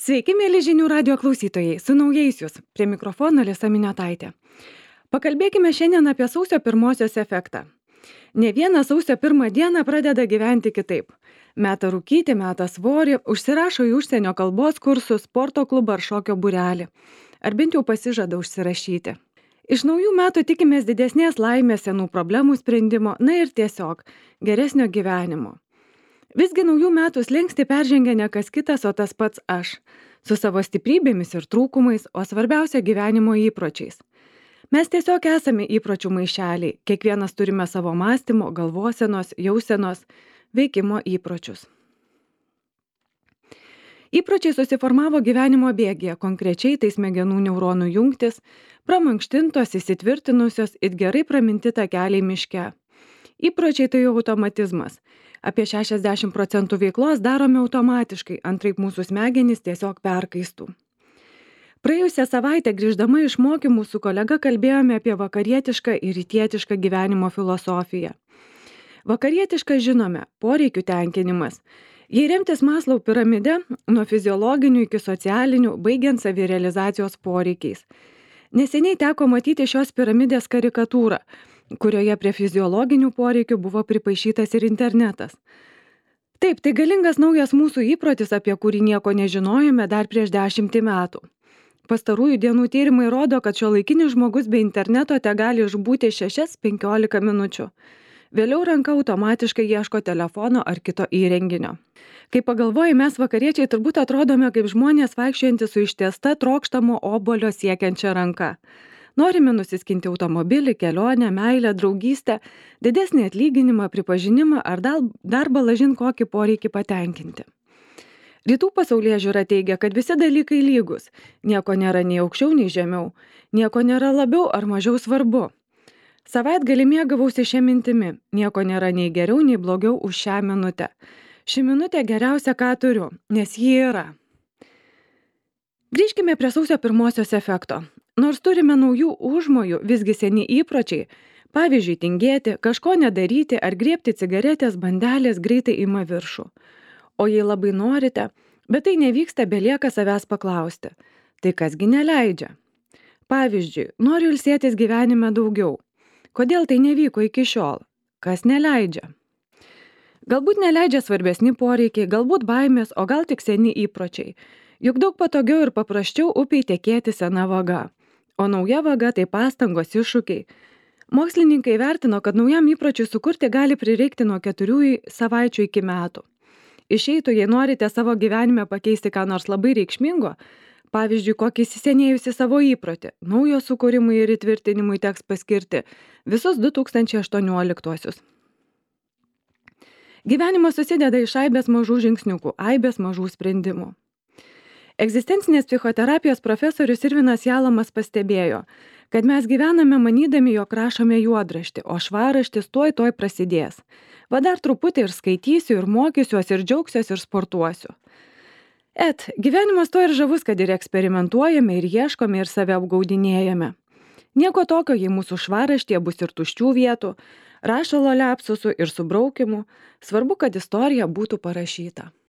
Sveiki, mėly žinių radio klausytojai, su naujais jūs, prie mikrofono Lisa Miniotaitė. Pakalbėkime šiandien apie sausio pirmosios efektą. Ne vieną sausio pirmą dieną pradeda gyventi kitaip. Meta rūkyti, meta svorį, užsirašo į užsienio kalbos kursus, sporto klubą ar šokio būrelį. Ar bent jau pasižada užsirašyti. Iš naujų metų tikimės didesnės laimės, senų problemų sprendimo, na ir tiesiog geresnio gyvenimo. Visgi naujų metų slenkstį peržengia ne kas kitas, o tas pats aš, su savo stiprybėmis ir trūkumais, o svarbiausia gyvenimo įpročiais. Mes tiesiog esame įpročių maišeliai, kiekvienas turime savo mąstymo, galvosenos, jausenos, veikimo įpročius. Įpročiai susiformavo gyvenimo bėgyje, konkrečiai tai smegenų neuronų jungtis, pramankštintos, įsitvirtinusios ir gerai praminti takeliai miške. Įpročiai tai automatizmas. Apie 60% veiklos darome automatiškai, antraip mūsų smegenys tiesiog perkaistų. Praėjusią savaitę grįždama iš mokymų su kolega kalbėjome apie vakarietišką ir rytietišką gyvenimo filosofiją. Vakarietišką žinome, poreikių tenkinimas. Jei remtis Maslau piramide, nuo fiziologinių iki socialinių, baigiant savirealizacijos poreikiais. Neseniai teko matyti šios piramidės karikatūrą, kurioje prie fiziologinių poreikių buvo pripaišytas ir internetas. Taip, tai galingas naujas mūsų įprotis, apie kurį nieko nežinojome dar prieš 10 metų. Pastarųjų dienų tyrimai rodo, kad šiuolaikinis žmogus be interneto tegali išbūti 6-15 minučių. Vėliau ranka automatiškai ieško telefono ar kito įrenginio. Kai pagalvoji, mes vakariečiai turbūt atrodome kaip žmonės vaikščiojantys su ištiesta trokštamo obuolio siekiančia ranka. Norime nusiskinti automobilį, kelionę, meilę, draugystę, didesnį atlyginimą, pripažinimą ar dar balažin kokį poreikį patenkinti. Rytų pasaulėžiūra teigia, kad visi dalykai lygus. Nieko nėra nei aukščiau, nei žemiau. Nieko nėra labiau ar mažiau svarbu. Savaitgalį mėgavausi šią mintimi. Nieko nėra nei geriau, nei blogiau už šią minutę. Ši minutė geriausia, ką turiu, nes ji yra. Grįžkime prie sausio pirmosios efekto. Nors turime naujų užmojų, visgi seni įpročiai, pavyzdžiui, tingėti, kažko nedaryti ar griebti cigaretės bandelės greitai ima viršų. O jei labai norite, bet tai nevyksta, belieka savęs paklausti. Tai kasgi neleidžia? Pavyzdžiui, noriu ilsėtis gyvenime daugiau. Kodėl tai nevyko iki šiol? Kas neleidžia? Galbūt neleidžia svarbesni poreikiai, galbūt baimės, o gal tik seni įpročiai. Juk daug patogiau ir paprasčiau upiai tekėti sena vaga. O nauja vaga tai pastangos, iššūkiai. Mokslininkai vertino, kad naujam įpročiui sukurti gali prireikti nuo 4 savaičių iki metų. Išeitų, jei norite savo gyvenime pakeisti ką nors labai reikšmingo, pavyzdžiui, kokį įsisenėjusi savo įprotį, naujo sukūrimui ir įtvirtinimui teks paskirti visus 2018. Gyvenimas susideda iš aibės mažų žingsniukų, aibės mažų sprendimų. Egzistencinės psichoterapijos profesorius Irvinas Jalamas pastebėjo, kad mes gyvename manydami, jog rašome juodraštį, o švarraštis tuoj prasidės. Va dar truputį ir skaitysiu, ir mokysiuos, ir džiaugsiuos, ir sportuosiu. Gyvenimas to ir žavus, kad ir eksperimentuojame, ir ieškome, ir save apgaudinėjame. Nieko tokio, jei mūsų švarraštyje bus ir tuščių vietų, rašalo liapsusų ir subraukimų, svarbu, kad istorija būtų parašyta.